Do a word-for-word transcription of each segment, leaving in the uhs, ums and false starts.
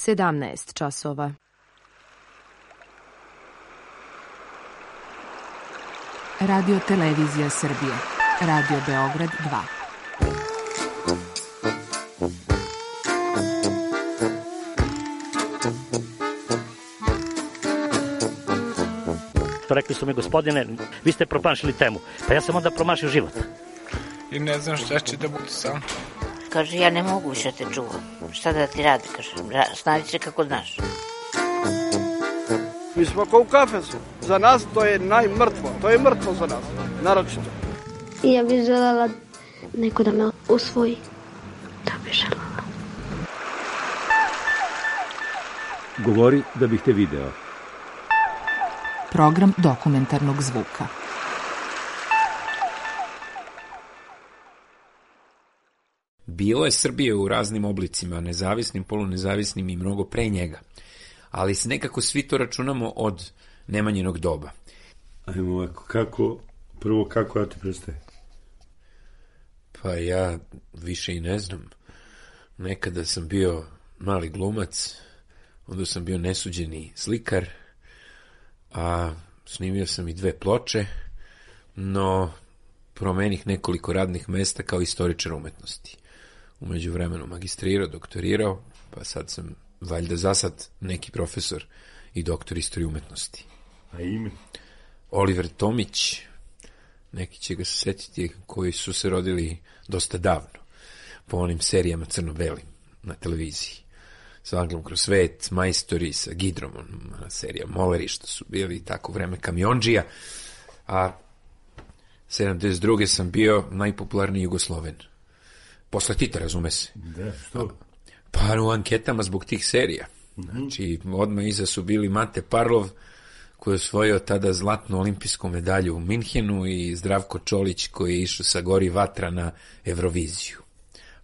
sedamnaest časova. Radio Televizija Srbije. Radio Beograd dva. Rekli su mi, gospodine, vi ste promašili temu. Pa ja sam onda promašio život. I ne znam šta će da bude sam. Kaže, ja ne mogu više te čuvam. Šta da ti radi, kaže, snađi se kako znaš. Mi smo kao u kafesu. Za nas to je najmrtvo. To je mrtvo za nas, naročito. Ja bih želela neko da me usvoji. Da bih želela. Govori da bih te video. Program dokumentarnog zvuka. Bilo je Srbije u raznim oblicima, nezavisnim, polunezavisnim i mnogo pre njega. Ali se nekako svi to računamo od Nemanjinog doba. Ajmo ovako, kako, prvo kako ja ti predstavim? Pa ja više i ne znam. Nekada sam bio mali glumac, onda sam bio nesuđeni slikar, a snimio sam i dve ploče, no promenih nekoliko radnih mesta kao istoričar umetnosti. U međuvremenu magistrirao, doktorirao, pa sad sam valjda za sad neki profesor i doktor istorije umetnosti. A ime? Oliver Tomić, neki će ga se setiti koji su se rodili dosta davno, po onim serijama crno-belim na televiziji. Sa Anglom kroz svet, Majstori, sa Gidromom, serija Moleri, što su bili tako vreme kamiondžija, a sedamdeset druge sam bio najpopularniji Jugosloven. Posle Tita, razume se. Da, što? Pa u anketama zbog tih serija. Znači, odmah iza su bili Mate Parlov, koji je osvojio tada zlatnu olimpijsku medalju u Minhenu, i Zdravko Čolić, koji je išao sa Gori vatra na Euroviziju.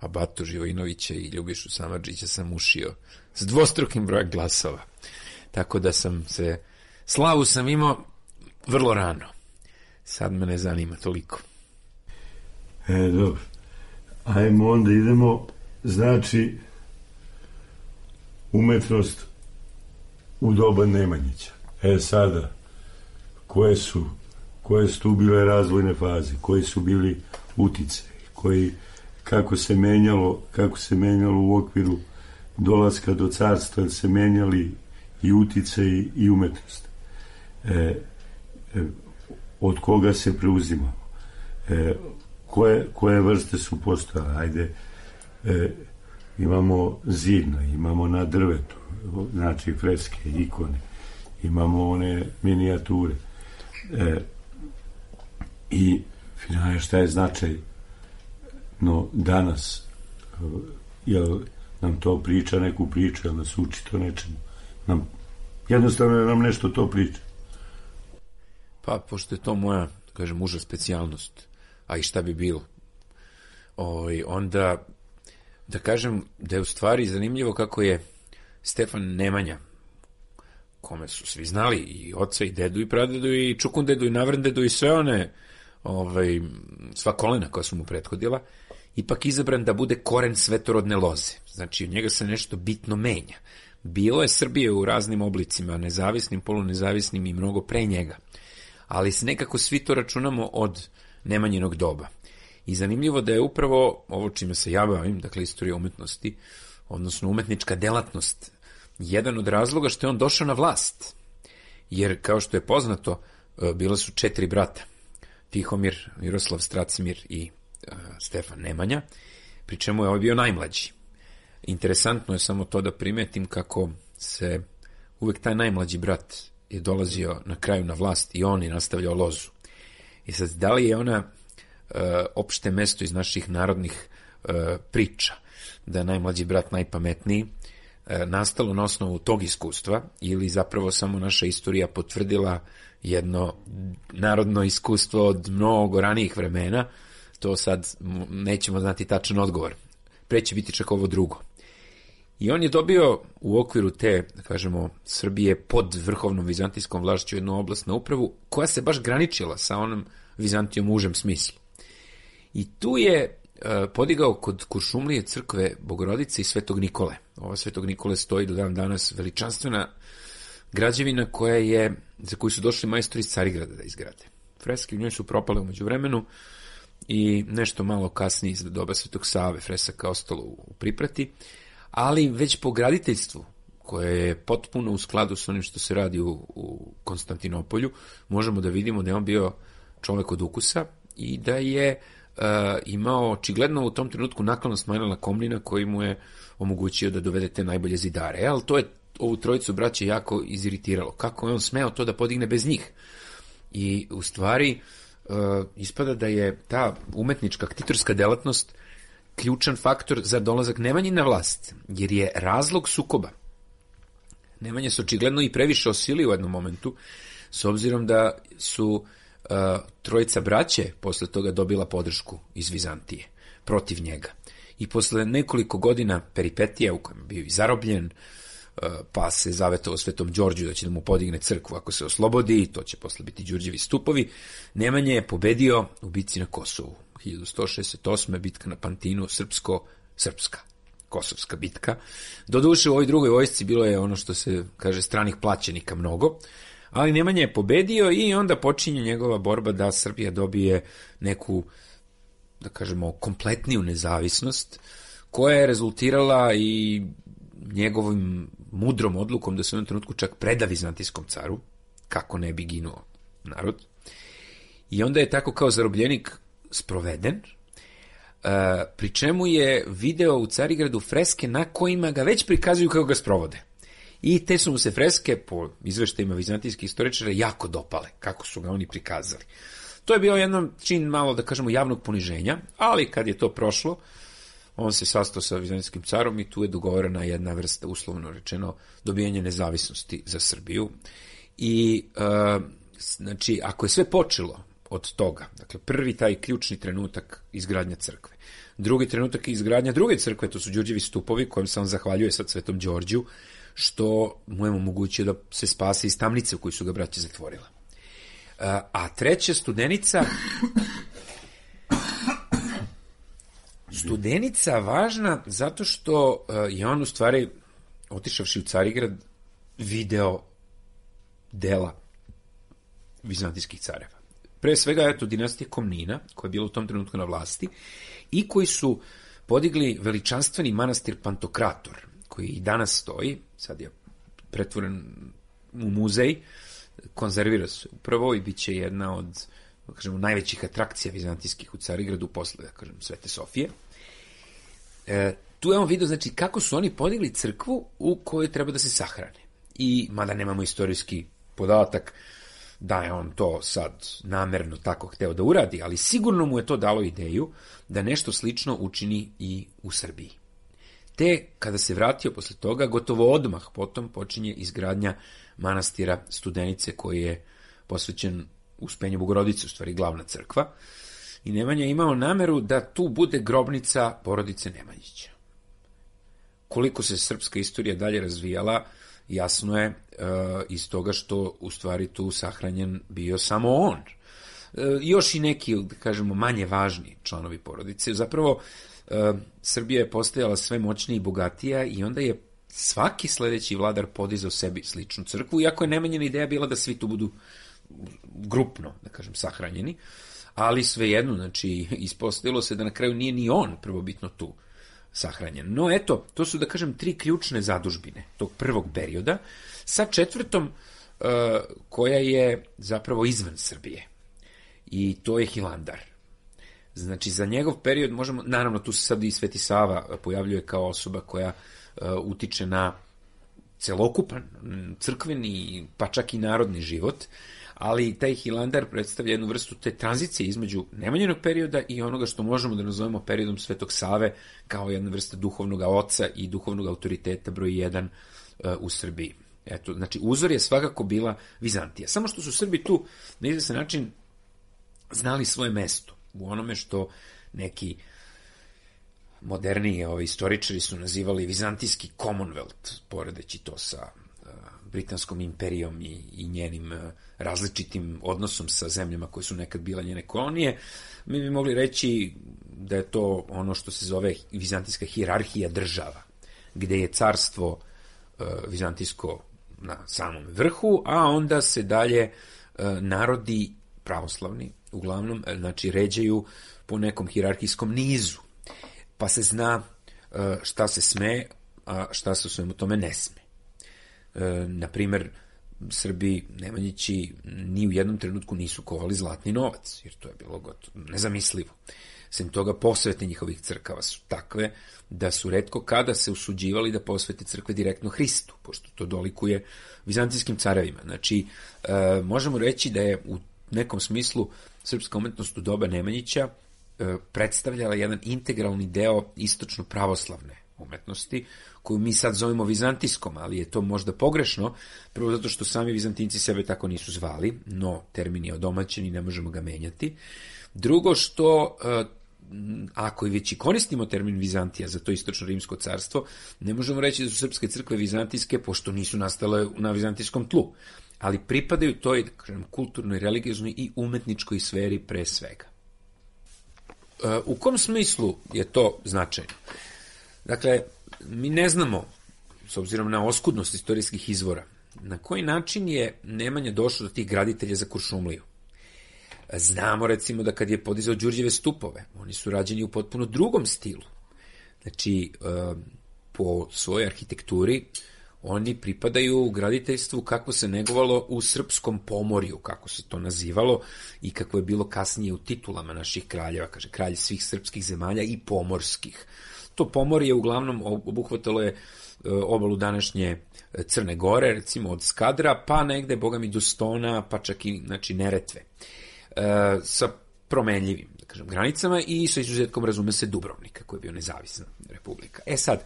A Batu Živojinovića i Ljubišu Samardžića sam ušio s dvostrukim brojem glasova. Tako da sam se, slavu sam imao vrlo rano. Sad me ne zanima toliko. E, dobro. Ajmo onda idemo, znači, umetnost u doba Nemanjića. E sada, koje su, koje su tu bile razvojne faze, koji su bili utice, koji, kako se menjalo, kako se menjalo u okviru dolaska do carstva, se menjali i utice i, i umetnost. E, e, od koga se preuzimamo? E, koje, koje vrste su postojale? Ajde, e, imamo zidno, imamo na drvetu, znači freske, ikone, imamo one minijature. E, I finalno, šta je značaj no danas? Jel nam to priča neku priču, jel nas uči to nečemu? Nam, jednostavno nam nešto to priča. Pa, pošto je to moja, kažem, uža specijalnost, a i šta bi bilo, o, onda da kažem da je u stvari zanimljivo kako je Stefan Nemanja, kome su svi znali, i oca, i dedu, i pradedu, i čukundedu, i navrndedu, i sve one, ovaj, sva kolena koja su mu prethodila, ipak izabran da bude koren svetorodne loze. Znači, od njega se nešto bitno menja. Bilo je Srbije u raznim oblicima, nezavisnim, polunezavisnim i mnogo pre njega. Ali se nekako svi to računamo od Nemanjinog doba. I zanimljivo da je upravo ovo čime se ja bavim, dakle istorija umetnosti, odnosno umetnička delatnost, jedan od razloga što je on došao na vlast. Jer, kao što je poznato, bila su četiri brata. Tihomir, Miroslav, Stracimir i uh, Stefan Nemanja, pri čemu je ovaj bio najmlađi. Interesantno je samo to da primetim kako se uvek taj najmlađi brat je dolazio na kraju na vlast i on je nastavljao lozu. I sad, da li je ona uh, opšte mesto iz naših narodnih uh, priča, da je najmlađi brat najpametniji, uh, nastalo na osnovu tog iskustva, ili zapravo samo naša istorija potvrdila jedno narodno iskustvo od mnogo ranijih vremena, to sad nećemo znati tačan odgovor. Pre će biti čak ovo drugo. I on je dobio u okviru te, da kažemo, Srbije pod vrhovnom vizantijskom vlašću jednu oblast na upravu koja se baš graničila sa onom Vizantijom u užem smislu. I tu je podigao kod Kuršumlije crkve Bogorodice i Svetog Nikole. Ova Svetog Nikole stoji do dan danas, veličanstvena građevina koja je, za koju su došli majstori iz Carigrada da izgrade. Freske u njoj su propale umeđu vremenu i nešto malo kasnije iz doba Svetog Save fresaka ostalo u priprati, ali već po graditeljstvu, koje je potpuno u skladu s onim što se radi u, u Konstantinopolju, možemo da vidimo da je on bio čovek od ukusa i da je uh, imao očigledno u tom trenutku naklonost Manila Komnina koji mu je omogućio da dovede te najbolje zidare. E, ali to je ovu trojicu braće jako iziritiralo. Kako je on smeo to da podigne bez njih? I u stvari uh, ispada da je ta umetnička aktitorska delatnost ključan faktor za dolazak Nemanje na vlast, jer je razlog sukoba. Nemanje se očigledno i previše osili u jednom momentu, s obzirom da su uh, trojica braće posle toga dobila podršku iz Vizantije protiv njega. I posle nekoliko godina peripetija u kojem je bio i zarobljen, uh, pa se zavetovao Svetom Đorđu da će da mu podigne crkvu ako se oslobodi, to će posle biti Đurđevi stupovi, Nemanje je pobedio u bitci na Kosovu. hiljadu sto šezdeset osme bitka na Pantinu, srpsko-srpska. Kosovska bitka. Doduše u ovoj drugoj vojsci bilo je ono što se kaže stranih plaćenika mnogo, ali Nemanja je pobedio i onda počinje njegova borba da Srbija dobije neku, da kažemo, kompletniju nezavisnost, koja je rezultirala i njegovim mudrom odlukom da se u jednom trenutku čak preda vizantijskom caru, kako ne bi ginuo narod. I onda je tako kao zarobljenik sproveden, Uh, pri čemu je video u Carigradu freske na kojima ga već prikazuju kako ga sprovode. I te su mu se freske, po izveštajima vizantijskih istoričara, jako dopale, kako su ga oni prikazali. To je bio jedan čin malo, da kažemo, javnog poniženja, ali kad je to prošlo, on se sastao sa vizantijskim carom i tu je dogovorena jedna vrsta, uslovno rečeno, dobijanje nezavisnosti za Srbiju. I, uh, znači, ako je sve počelo od toga, dakle, prvi taj ključni trenutak izgradnja crkve, drugi trenutak izgradnja druge crkve, to su Đurđevi stupovi, kojem se on zahvaljuje sad Svetom Đorđu, što mu je omogućio da se spase iz tamnice u koju su ga braće zatvorila. A treća Studenica, Studenica važna zato što je on u stvari, otišavši u Carigrad, video dela vizantijskih careva. Pre svega, eto, dinastije Komnina, koja je bila u tom trenutku na vlasti, i koji su podigli veličanstveni manastir Pantokrator, koji i danas stoji, sad je pretvoren u muzej, konzervira se upravo i bit će jedna od, da kažemo, najvećih atrakcija vizantijskih u Carigradu posle, da kažem, Svete Sofije. E, tu je on vidio, znači, kako su oni podigli crkvu u kojoj treba da se sahrane. I, mada nemamo istorijski podatak da je on to sad namerno tako hteo da uradi, ali sigurno mu je to dalo ideju da nešto slično učini i u Srbiji. Te, kada se vratio posle toga, gotovo odmah potom počinje izgradnja manastira Studenice, koji je posvećen Uspenju Bogorodice, u stvari glavna crkva, i Nemanja je imao nameru da tu bude grobnica porodice Nemanjića. Koliko se srpska istorija dalje razvijala, jasno je uh, iz toga što u stvari tu sahranjen bio samo on. Uh, još i neki, da kažemo, manje važni članovi porodice. Zapravo, uh, Srbija je postajala sve moćnija i bogatija i onda je svaki sledeći vladar podizao sebi sličnu crkvu, iako je Nemanjina ideja bila da svi tu budu grupno, da kažem, sahranjeni, ali svejedno, znači, ispostavilo se da na kraju nije ni on prvobitno tu sahranjen. No eto, to su, da kažem, tri ključne zadužbine tog prvog perioda, sa četvrtom uh, koja je zapravo izvan Srbije. I to je Hilandar. Znači, za njegov period možemo, naravno, tu se sad i Sveti Sava pojavljuje kao osoba koja uh, utiče na celokupan crkveni, pa čak i narodni život, ali taj Hilandar predstavlja jednu vrstu te tranzicije između Nemanjinog perioda i onoga što možemo da nazovemo periodom Svetog Save, kao jedna vrsta duhovnog oca i duhovnog autoriteta broj jedan uh, u Srbiji. Eto, znači, uzor je svakako bila Vizantija. Samo što su Srbi tu na izvestan način znali svoje mesto u onome što neki moderniji ovi istoričari su nazivali Vizantijski Commonwealth, poredeći to sa uh, Britanskom imperijom i, i njenim uh, različitim odnosom sa zemljama koje su nekad bila njene kolonije. Mi bi mogli reći da je to ono što se zove vizantijska hijerarhija država, gde je carstvo e, vizantijsko na samom vrhu, a onda se dalje e, narodi pravoslavni, uglavnom, znači, ređaju po nekom hijerarhijskom nizu, pa se zna e, šta se sme, a šta se u svemu tome ne sme. E, naprimer, Srbi, Nemanjići, ni u jednom trenutku nisu kovali zlatni novac, jer to je bilo gotovo nezamislivo. Sem toga, posvete njihovih crkava su takve da su retko kada se usuđivali da posvete crkve direktno Hristu, pošto to dolikuje vizantijskim carevima. Znači, e, možemo reći da je u nekom smislu srpska umetnost u doba Nemanjića e, predstavljala jedan integralni deo istočno pravoslavne umetnosti, koju mi sad zovemo vizantijskom, ali je to možda pogrešno, prvo zato što sami Vizantinci sebe tako nisu zvali, no termin je odomaćen i ne možemo ga menjati. Drugo što, ako i već i koristimo termin Vizantija za to istočno rimsko carstvo, ne možemo reći da su srpske crkve vizantijske, pošto nisu nastale na vizantijskom tlu, ali pripadaju toj, da kažem, kulturnoj, religioznoj i umetničkoj sferi pre svega. U kom smislu je to značajno? Dakle, mi ne znamo, s obzirom na oskudnost istorijskih izvora, na koji način je Nemanja došao do tih graditelja za Kuršumliju. Znamo, recimo, da kad je podizao Đurđeve stupove, oni su rađeni u potpuno drugom stilu. Znači, po svojoj arhitekturi, oni pripadaju graditeljstvu kako se negovalo u srpskom pomorju, kako se to nazivalo i kako je bilo kasnije u titulama naših kraljeva, kaže, kralj svih srpskih zemalja i pomorskih. To pomorje uglavnom obuhvatalo je obalu današnje Crne Gore, recimo od Skadra, pa negde, boga mi, do Stona, pa čak i, znači, Neretve, e, sa promenljivim, da kažem, granicama i sa izuzetkom, razume se, Dubrovnika, koji je bio nezavisna republika. E sad,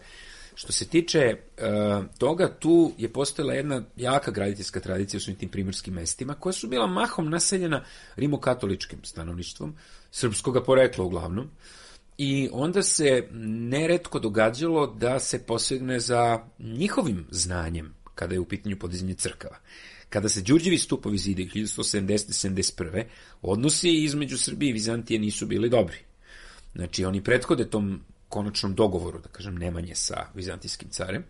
što se tiče e, toga, tu je postojala jedna jaka graditeljska tradicija u svim tim primorskim mestima, koja su bila mahom naseljena rimokatoličkim stanovništvom, srpskoga porekla uglavnom, i onda se neretko događalo da se posegne za njihovim znanjem kada je u pitanju podizanje crkava. Kada se Đurđevi stupovi zidaju hiljadu sto sedamdesete do sedamdeset prve. odnosi između Srbije i Vizantije nisu bili dobri. Znači, oni prethode tom konačnom dogovoru, da kažem, Nemanje sa vizantijskim carem,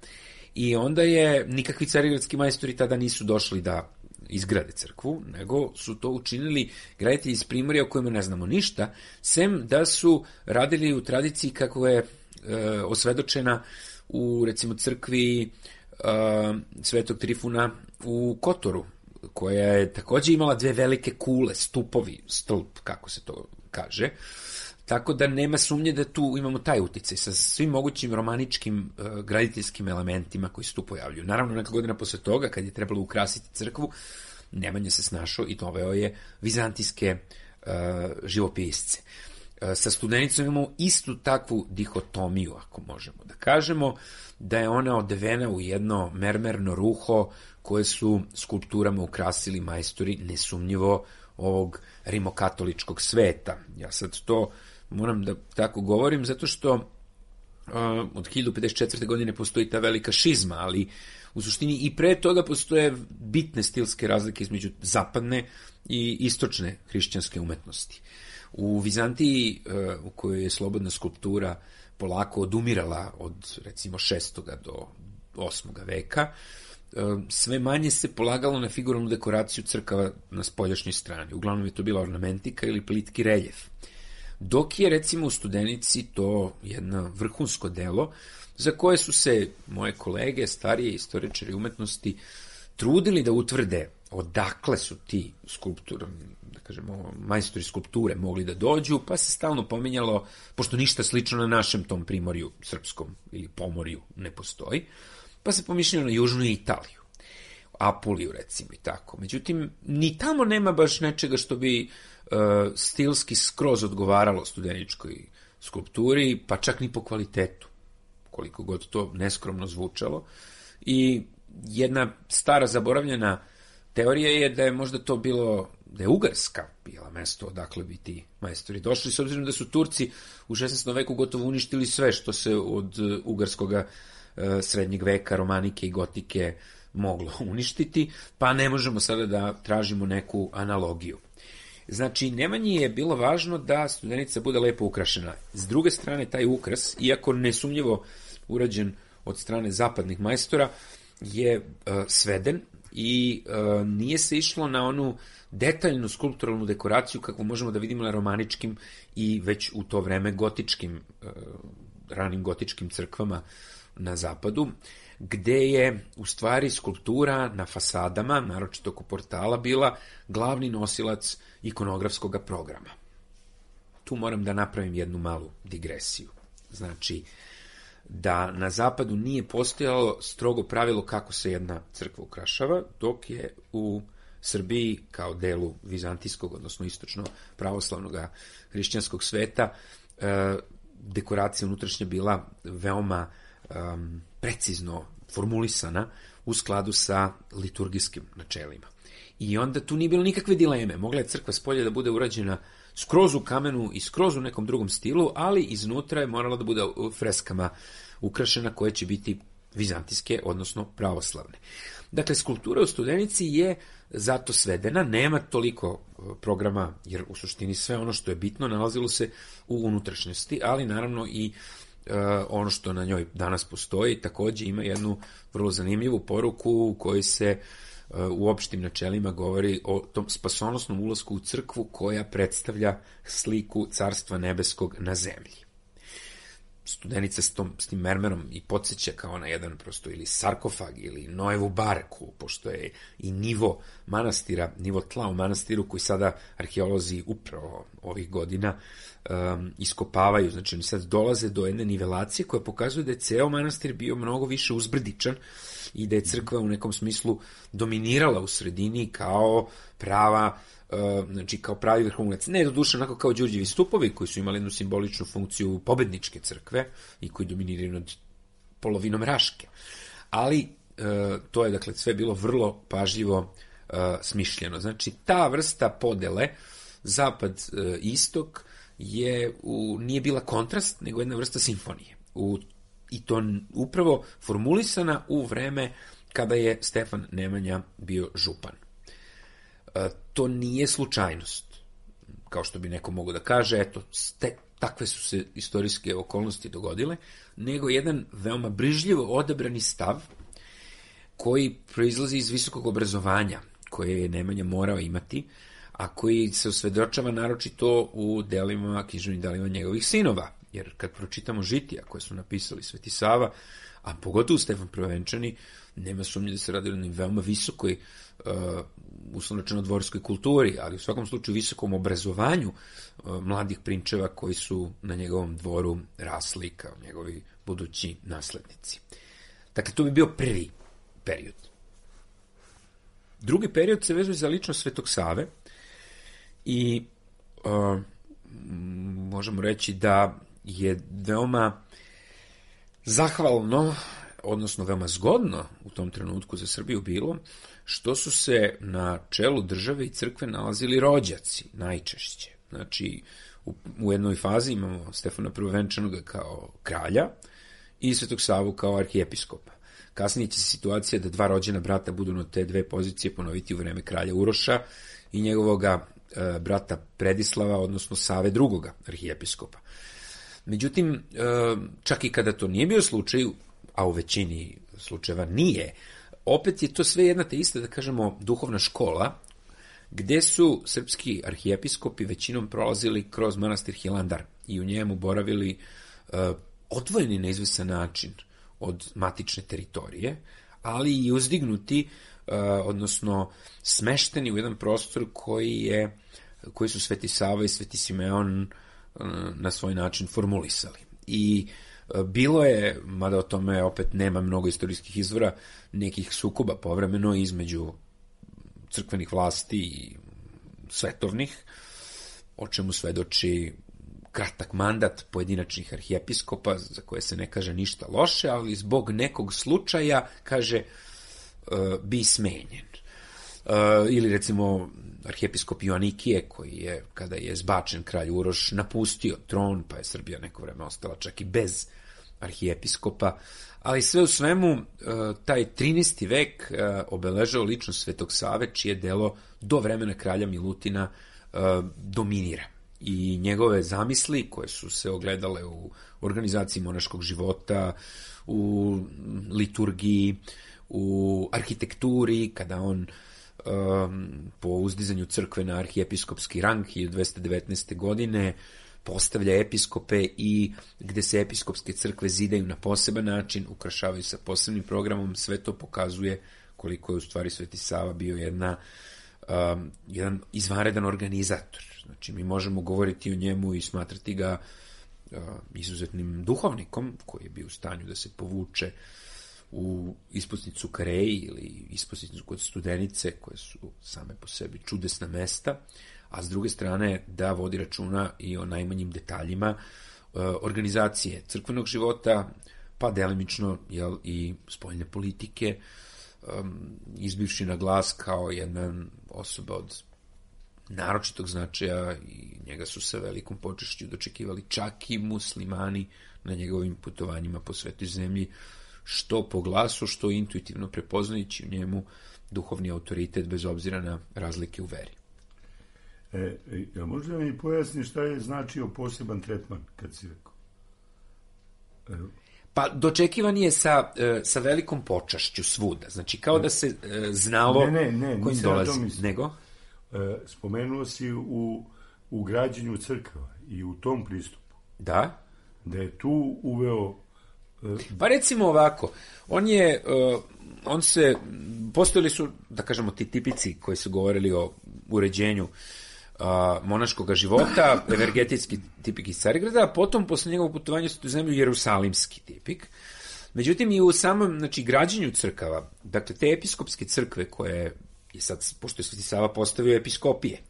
i onda je, nikakvi carigradski majstori tada nisu došli da izgrade crkvu, nego su to učinili graditelji iz Primorja o kojima ne znamo ništa, sem da su radili u tradiciji kako je e, osvedočena u, recimo, crkvi e, Svetog Trifuna u Kotoru, koja je takođe imala dve velike kule, stupovi, stolp, kako se to kaže. Tako da nema sumnje da tu imamo taj uticaj sa svim mogućim romaničkim uh, graditeljskim elementima koji se tu pojavljuju. Naravno, neka godina posle toga, kad je trebalo ukrasiti crkvu, Nemanja se snašao i doveo je vizantijske uh, živopisce. Uh, sa Studenicom imamo istu takvu dihotomiju, ako možemo da kažemo, da je ona odevena u jedno mermerno ruho koje su skulpturama ukrasili majstori nesumnjivo ovog rimokatoličkog sveta. Ja sad to moram da tako govorim, zato što uh, od hiljadu pedeset četvrte. godine postoji ta velika šizma, ali u suštini i pre toga postoje bitne stilske razlike između zapadne i istočne hrišćanske umetnosti. U Vizantiji, uh, u kojoj je slobodna skulptura polako odumirala od, recimo, šestoga do osmoga veka, sve manje se polagalo na figuralnu dekoraciju crkava na spoljašnjoj strani. Uglavnom je to bila ornamentika ili plitki reljef. Dok je, recimo, u Studenici to jedno vrhunsko delo za koje su se moje kolege, starije istoričari umetnosti, trudili da utvrde odakle su ti skulptori, da kažemo, majstori skulpture mogli da dođu, pa se stalno pominjalo, pošto ništa slično na našem tom primorju srpskom ili pomorju ne postoji, pa se pomišljalo na južnu Italiju, Apuliju, recimo, i tako. Međutim, ni tamo nema baš nečega što bi uh, stilski skroz odgovaralo studeničkoj skulpturi, pa čak ni po kvalitetu, koliko god to neskromno zvučalo. I jedna stara zaboravljena teorija je da je možda to bilo, da je Ugarska bila mesto odakle bi ti majstori došli, s obzirom da su Turci u šesnaestom veku gotovo uništili sve što se od ugarskoga srednjeg veka, romanike i gotike moglo uništiti, pa ne možemo sada da tražimo neku analogiju. Znači, Nemanji je bilo važno da Studenica bude lepo ukrašena. S druge strane, taj ukras, iako nesumnjivo urađen od strane zapadnih majstora, je uh, sveden i uh, nije se išlo na onu detaljnu skulpturalnu dekoraciju kakvu možemo da vidimo na romaničkim i već u to vreme gotičkim, uh, ranim gotičkim crkvama na zapadu, gde je u stvari skulptura na fasadama, naročito oko portala, bila glavni nosilac ikonografskog programa. Tu moram da napravim jednu malu digresiju. Znači, da na zapadu nije postojalo strogo pravilo kako se jedna crkva ukrašava, dok je u Srbiji kao delu vizantijskog, odnosno istočno pravoslavnog hrišćanskog sveta, dekoracija unutrašnja bila veoma um, precizno formulisana u skladu sa liturgijskim načelima. I onda tu nije bilo nikakve dileme. Mogla je crkva spolje da bude urađena skroz u kamenu i skroz u nekom drugom stilu, ali iznutra je morala da bude freskama ukrašena koje će biti vizantijske, odnosno pravoslavne. Dakle, skulptura u Studenici je zato svedena, nema toliko programa, jer u suštini sve ono što je bitno nalazilo se u unutrašnjosti, ali naravno i uh, ono što na njoj danas postoji takođe ima jednu vrlo zanimljivu poruku u kojoj se uh, u opštim načelima govori o tom spasonosnom ulasku u crkvu koja predstavlja sliku Carstva nebeskog na zemlji. Studenica s, tom, s tim mermerom i podsjeća kao na jedan prosto ili sarkofag ili Noevu barku, pošto je i nivo manastira, nivo tla u manastiru koji sada arheolozi upravo ovih godina um, iskopavaju. Znači oni sad dolaze do jedne nivelacije koja pokazuje da je ceo manastir bio mnogo više uzbrdičan i da je crkva u nekom smislu dominirala u sredini kao prava, Uh, znači kao pravi vrhunac, ne do duše onako kao Đurđevi stupovi koji su imali jednu simboličnu funkciju pobedničke crkve i koji dominiraju nad polovinom Raške. Ali uh, to je dakle sve bilo vrlo pažljivo uh, smišljeno. Znači ta vrsta podele zapad-istok je u, nije bila kontrast, nego jedna vrsta simfonije. U, I to upravo formulisana u vreme kada je Stefan Nemanja bio župan. To nije slučajnost, kao što bi neko mogo da kaže, eto, te, takve su se istorijske okolnosti dogodile, nego jedan veoma brižljivo odabrani stav koji proizlazi iz visokog obrazovanja, koje je Nemanja morao imati, a koji se osvedočava naročito u delima, književnim delima njegovih sinova, jer kad pročitamo žitija koje su napisali Sveti Sava, a pogotovo Stefan Prvenčani, nema sumnje da se radi o jednom veoma visokoj, uh, uslovno rečeno dvorskoj kulturi, ali u svakom slučaju visokom obrazovanju uh, mladih prinčeva koji su na njegovom dvoru rasli kao njegovi budući naslednici. Dakle, to bi bio prvi period. Drugi period se vezuje za ličnost Svetog Save i uh, možemo reći da je veoma zahvalno, odnosno veoma zgodno u tom trenutku za Srbiju bilo, što su se na čelu države i crkve nalazili rođaci, najčešće. Znači, u, u jednoj fazi imamo Stefana Prvovenčanog kao kralja i Svetog Savu kao arhijepiskopa. Kasnije će se situacija da dva rođena brata budu na te dve pozicije ponoviti u vreme kralja Uroša i njegovoga e, brata Predislava, odnosno Save drugoga arhijepiskopa. Međutim, čak i kada to nije bio slučaj, a u većini slučajeva nije, opet je to sve jedna te ista, da kažemo, duhovna škola, gde su srpski arhijepiskopi većinom prolazili kroz manastir Hilandar i u njemu boravili odvojeni na izvesan način od matične teritorije, ali i uzdignuti, odnosno smešteni u jedan prostor koji je, koji su Sveti Sava i Sveti Simeon na svoj način formulisali. I bilo je, mada o tome opet nema mnogo istorijskih izvora, nekih sukoba povremeno između crkvenih vlasti i svetovnih, o čemu svedoči kratak mandat pojedinačnih arhijepiskopa, za koje se ne kaže ništa loše, ali zbog nekog slučaja, kaže, bi smenjen. Uh, ili recimo arhijepiskop Joanikije, koji je, kada je zbačen kralj Uroš, napustio tron, pa je Srbija neko vreme ostala čak i bez arhijepiskopa, ali sve u svemu uh, taj trinaesti vek uh, obeležao ličnost Svetog Save, čije delo do vremena kralja Milutina uh, dominira. I njegove zamisli, koje su se ogledale u organizaciji monaškog života, u liturgiji, u arhitekturi, kada on um, po uzdizanju crkve na arhijepiskopski rang hiljadu dvesta devetnaeste. godine postavlja episkope i gde se episkopske crkve zidaju na poseban način, ukrašavaju sa posebnim programom, sve to pokazuje koliko je u stvari Sveti Sava bio jedna, um, jedan izvanredan organizator. Znači, mi možemo govoriti o njemu i smatrati ga uh, izuzetnim duhovnikom, koji je bio u stanju da se povuče u ispusnicu Kareji ili ispusnicu kod Studenice, koje su same po sebi čudesna mesta, a s druge strane da vodi računa i o najmanjim detaljima uh, organizacije crkvenog života, pa delimično jel, i spoljne politike, um, izbivši na glas kao jedna osoba od naročitog značaja i njega su sa velikom počešću dočekivali čak i muslimani na njegovim putovanjima po svetoj zemlji, što po glasu, što intuitivno prepoznajući u njemu duhovni autoritet bez obzira na razlike u veri. E, ja možda mi pojasni šta je značio poseban tretman, kad si rekao? E, Pa dočekivan je sa, sa velikom počašću svuda. Znači, kao da se znalo ne, ne, ne, kojim dolazi. Nego? E, spomenuo si u, u građenju crkava i u tom pristupu. Da. Da je tu uveo... E, pa recimo ovako, on je, uh, on se, postojali su, da kažemo, ti tipici koji su govorili o uređenju uh, monaškog života, evergetijski tipik iz Carigrada, a potom posle njegovog putovanja u zemlju jerusalimski tipik. Međutim, i u samom, znači, građenju crkava, dakle, te episkopske crkve koje je sad, pošto je Sveti Sava postavio episkopije,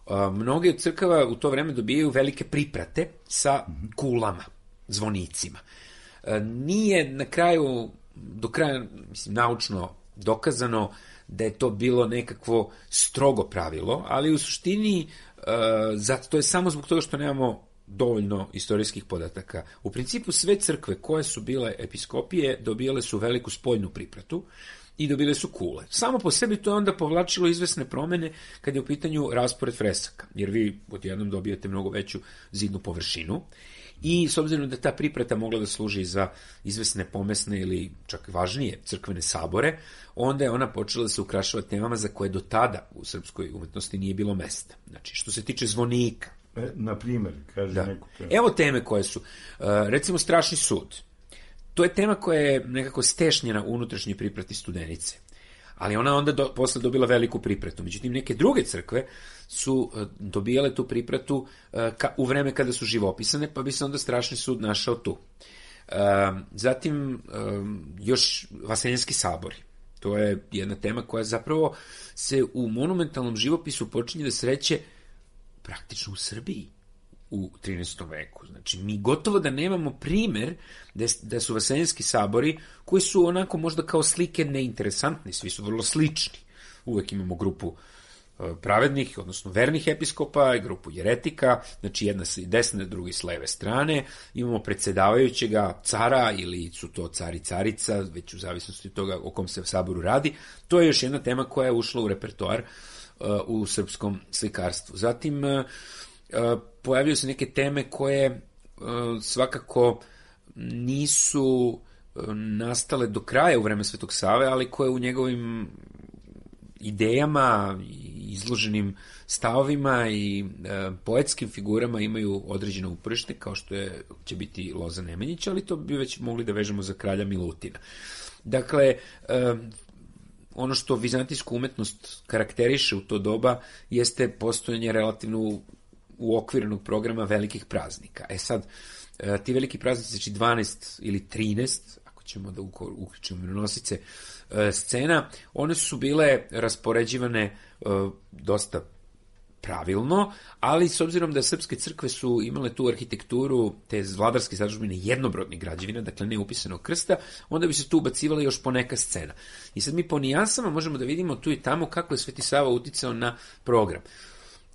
uh, mnoge od crkava u to vreme dobijaju velike priprate sa kulama, zvonicima. Uh, nije na kraju, do kraja, mislim, naučno dokazano da je to bilo nekakvo strogo pravilo, ali u suštini uh, zato to je samo zbog toga što nemamo dovoljno istorijskih podataka. U principu sve crkve koje su bile episkopije dobijale su veliku spoljnu pripratu i dobile su kule. Samo po sebi to je onda povlačilo izvesne promene kad je u pitanju raspored fresaka, jer vi odjednom dobijete mnogo veću zidnu površinu i s obzirom da ta priprata mogla da služi za izvesne pomesne ili čak važnije crkvene sabore, onda je ona počela da se ukrašava temama za koje do tada u srpskoj umetnosti nije bilo mesta. Znači, što se tiče zvonika. E, na primjer, kaže da. neku temu. Evo teme koje su. Uh, recimo, strašni sud. To je tema koja je nekako stešnjena u unutrašnjoj priprati Studenice. Ali ona onda do, posle dobila veliku pripratu. Međutim, neke druge crkve su uh, dobijale tu pripratu uh, ka, u vreme kada su živopisane, pa bi se onda strašni sud našao tu. Uh, zatim, um, još Vaseljenski sabori. To je jedna tema koja zapravo se u monumentalnom živopisu počinje da sreće praktično u Srbiji u trinaestom veku. Znači, mi gotovo da nemamo primer da, da su Vaseljenski sabori, koji su onako možda kao slike neinteresantni, svi su vrlo slični. Uvek imamo grupu uh, pravednih, odnosno vernih episkopa, i grupu jeretika, znači jedna s desne, drugi s leve strane, imamo predsedavajućega cara, ili su to car i carica, već u zavisnosti od toga o kom se saboru radi. To je još jedna tema koja je ušla u repertoar uh, u srpskom slikarstvu. Zatim, uh, Uh, pojavljaju se neke teme koje uh, svakako nisu uh, nastale do kraja u vreme Svetog Save, ali koje u njegovim idejama, izloženim stavovima i uh, poetskim figurama imaju određeno uporište, kao što je, će biti Loza Nemanjić, ali to bi već mogli da vežemo za kralja Milutina. Dakle, uh, ono što vizantijsku umetnost karakteriše u to doba jeste postojanje relativno uokvirenog programa velikih praznika. E sad, ti veliki praznici, znači dvanaest ili trinaest, ako ćemo da uključimo mironosice, scena, one su bile raspoređivane dosta pravilno, ali s obzirom da srpske crkve su imale tu arhitekturu, te vladarske zadužbine jednobrodnih građevina, dakle ne upisanog krsta, onda bi se tu ubacivala još poneka scena. I sad mi po nijansama možemo da vidimo tu i tamo kako je Sveti Sava uticao na program.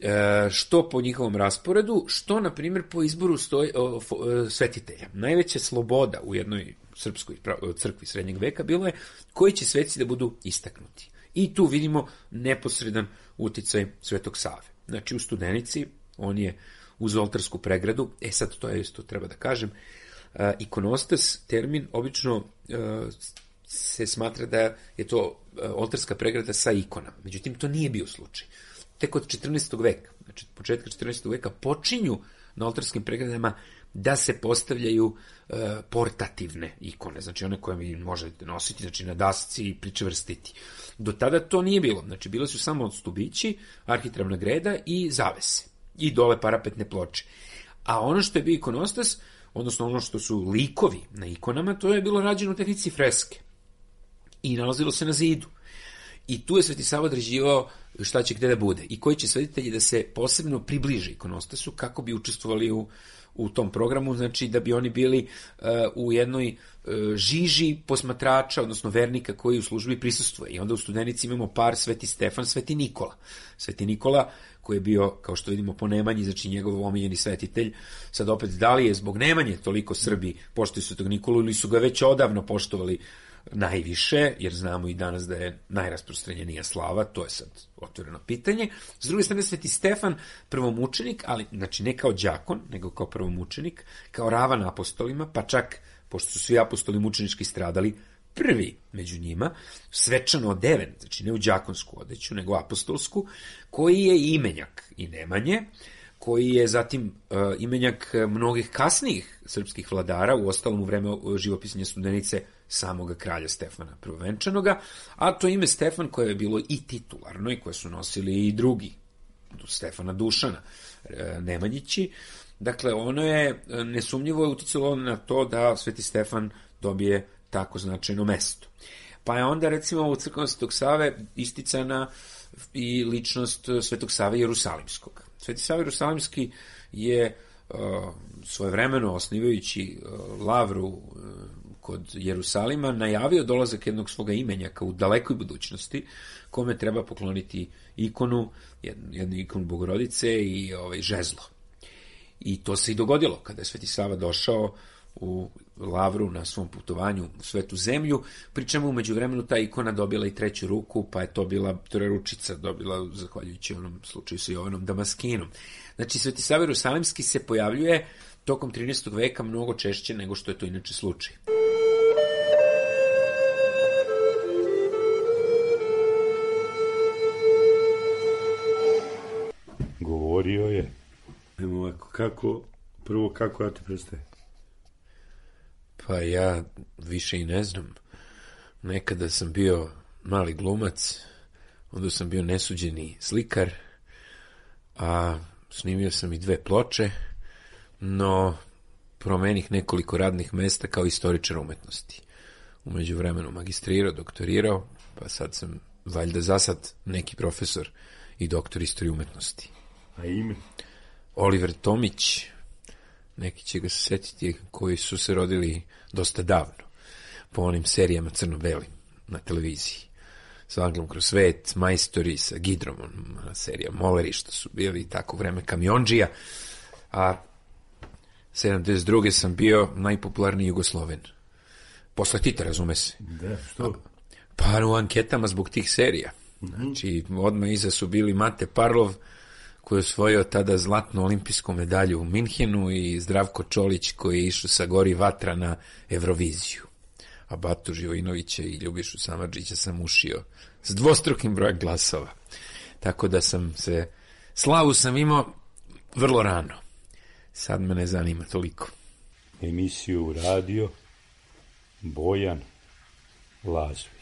E, što po njihovom rasporedu, što, na primjer, po izboru stoj, o, o, svetitelja. Najveća sloboda u jednoj srpskoj crkvi srednjeg veka bilo je koji će sveci da budu istaknuti. I tu vidimo neposredan uticaj Svetog Save. znači u Studenici, on je uz oltarsku pregradu, e sad to je isto treba da kažem, a, ikonostas, termin, obično a, se smatra da je to a, oltarska pregrada sa ikonama. Međutim, to nije bio slučaj. Tek od četrnaestog veka, znači početka četrnaestog veka, počinju na oltarskim pregradama da se postavljaju e, portativne ikone, znači one koje vi možete nositi, znači na dasci i pričvrstiti. Do tada to nije bilo, znači bile su samo stubići, arhitravna greda i zavese, i dole parapetne ploče. A ono što je bio ikonostas, odnosno ono što su likovi na ikonama, to je bilo rađeno u tehnici freske i nalazilo se na zidu. I tu je Sveti Sava određivao šta će gde da bude i koji će svetitelji da se posebno približe ikonostasu kako bi učestvovali u, u tom programu, znači da bi oni bili uh, u jednoj uh, žiži posmatrača, odnosno vernika koji u službi prisustvuje. I onda u Studenici imamo par Sveti Stefan, Sveti Nikola. Sveti Nikola koji je bio, kao što vidimo, po Nemanji, znači njegov omiljeni svetitelj. Sad opet, da li je zbog Nemanje toliko Srbi poštuju Svetog Nikolu ili su ga već odavno poštovali najviše, jer znamo i danas da je najrasprostranjenija slava, to je sad otvoreno pitanje. S druge strane, Sveti Stefan, prvomučenik, ali znači ne kao đakon, nego kao prvomučenik, kao ravan apostolima, pa čak, pošto su svi apostoli mučenički stradali, prvi među njima, svečano odeven, znači ne u đakonsku odeću, nego apostolsku, koji je imenjak i Nemanje, koji je zatim uh, imenjak mnogih kasnijih srpskih vladara, u ostalom u vreme živopisanja Studenice samoga kralja Stefana Prvovenčanoga, a to ime Stefan koje je bilo i titularno i koje su nosili i drugi, Stefana Dušana Nemanjići. Dakle, ono je nesumnjivo uticalo na to da Sveti Stefan dobije tako značajno mesto. Pa je onda, recimo, u crkvama Svetog Save isticana i ličnost Svetog Save Jerusalimskog. Sveti Sava Jerusalimski je uh, svojevremeno, osnivajući uh, lavru uh, kod Jerusalima, najavio dolazak jednog svoga imenjaka u dalekoj budućnosti, kome treba pokloniti ikonu, jednu, jednu ikonu Bogorodice i ovaj, žezlo. I to se i dogodilo, kada je Sveti Sava došao u lavru na svom putovanju u Svetu zemlju, pri čemu umeđu vremenu ta ikona dobila i treću ruku, pa je to bila trojeručica, dobila zahvaljujući onom slučaju sa Jovanom Damaskinom. Znači, Sveti Sava Jerusalimski se pojavljuje tokom trinaestog veka mnogo češće nego što je to inače slučaj. Govorio je. Evo, kako, prvo kako ja ti predstavim? Pa ja više i ne znam. Nekada sam bio mali glumac, onda sam bio nesuđeni slikar, a snimio sam i dve ploče, no promenih nekoliko radnih mesta kao istoričar umetnosti. Umeđu vremenu magistrirao, doktorirao, pa sad sam valjda za sad neki profesor i doktor istorije umetnosti. A ime? Oliver Tomić, neki će ga se setiti, koji su se rodili dosta davno, po onim serijama crno-belim na televiziji. S Anglom kroz svet, Majstori sa Gidromom, serija Moleri, što su bili tako vreme kamionđija, a sedamdeset druge sam bio najpopularniji Jugosloven. Posle Tita, razume se. Da, što? Pa u anketama zbog tih serija. Znači, odmah iza su bili Mate Parlov, koji je osvojio tada zlatnu olimpijsku medalju u Minhenu, i Zdravko Čolić, koji je išao sa Gori Vatra na Euroviziju. A Batu Živojinovića i Ljubišu Samardžića sam ušio s dvostrukim brojem glasova. Tako da sam se, slavu sam imao vrlo rano. Sad me ne zanima toliko. Emisiju radio Bojan Lazović.